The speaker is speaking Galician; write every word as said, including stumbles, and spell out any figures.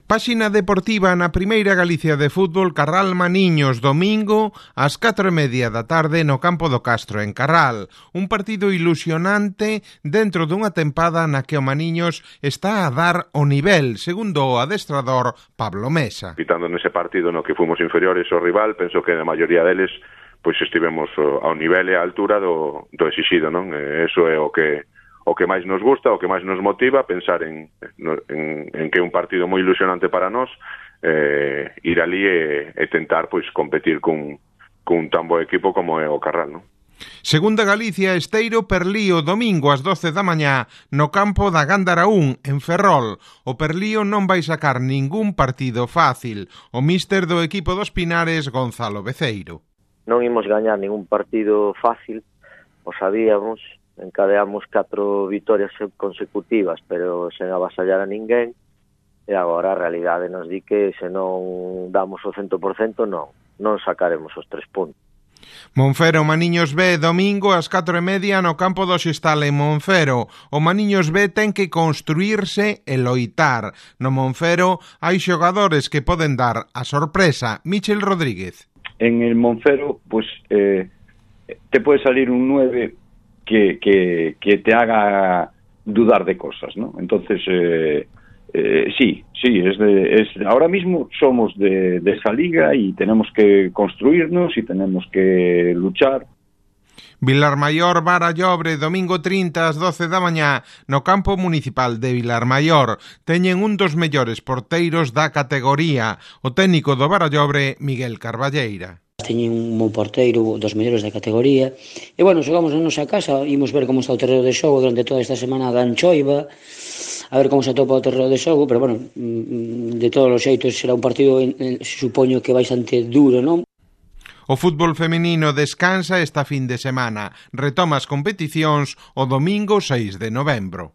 Páxina deportiva na Primeira Galicia de Fútbol. Carral Maniños, domingo ás catro e media da tarde no campo do Castro, en Carral. Un partido ilusionante dentro dunha tempada na que o Maniños está a dar o nivel, segundo o adestrador Pablo Mesa. Quitando nese partido no que fomos inferiores ao rival, penso que a maioría deles pois estivemos ao nivel e á altura do, do exixido, non? E eso é o que o que máis nos gusta, o que máis nos motiva, pensar en, en, en que é un partido moi ilusionante para nós, eh, ir ali e, e tentar pois competir cun, cun tan bo equipo como é o Carral, non? Segunda Galicia, Esteiro Perlío, domingo ás doce da mañá no campo da Gándara un, en Ferrol. O Perlío non vai sacar ningún partido fácil. O míster do equipo dos Pinares, Gonzalo Beceiro. Non imos gañar ningún partido fácil, o sabíamos. Encadeamos catro vitorias consecutivas, pero sen avasallar a ninguén, e agora a realidade nos di que se non damos o cento por cento non, non sacaremos os tres puntos. Monfero Maniños B, domingo ás catro e media no campo do Xestal en Monfero. O Maniños B ten que construírse e loitar. No Monfero hai xogadores que poden dar a sorpresa. Michel Rodríguez. En el Monfero, pues, eh, te puede salir un nueve Que, que, que te haga dudar de cosas, ¿no? Entonces, eh, eh, sí, sí, es de, es, ahora mismo somos de, de esa liga y tenemos que construirnos y tenemos que luchar. Vilarmaior Barallobre, domingo trinta ás doce da mañá no campo municipal de Vilarmaior. Teñen un dos mellores porteiros da categoría, o técnico do Barallobre, Miguel Carballeira. Teñen un bo porteiro dos mellores da categoría e, bueno, xogamos na nosa casa, imos ver como está o terreo de xogo durante toda esta semana da Anchoiva, a ver como se atopa o terreo de xogo, pero, bueno, de todos os xeitos será un partido, supoño que bastante duro, non? O fútbol feminino descansa esta fin de semana. Retoma as competicións o domingo seis de novembro.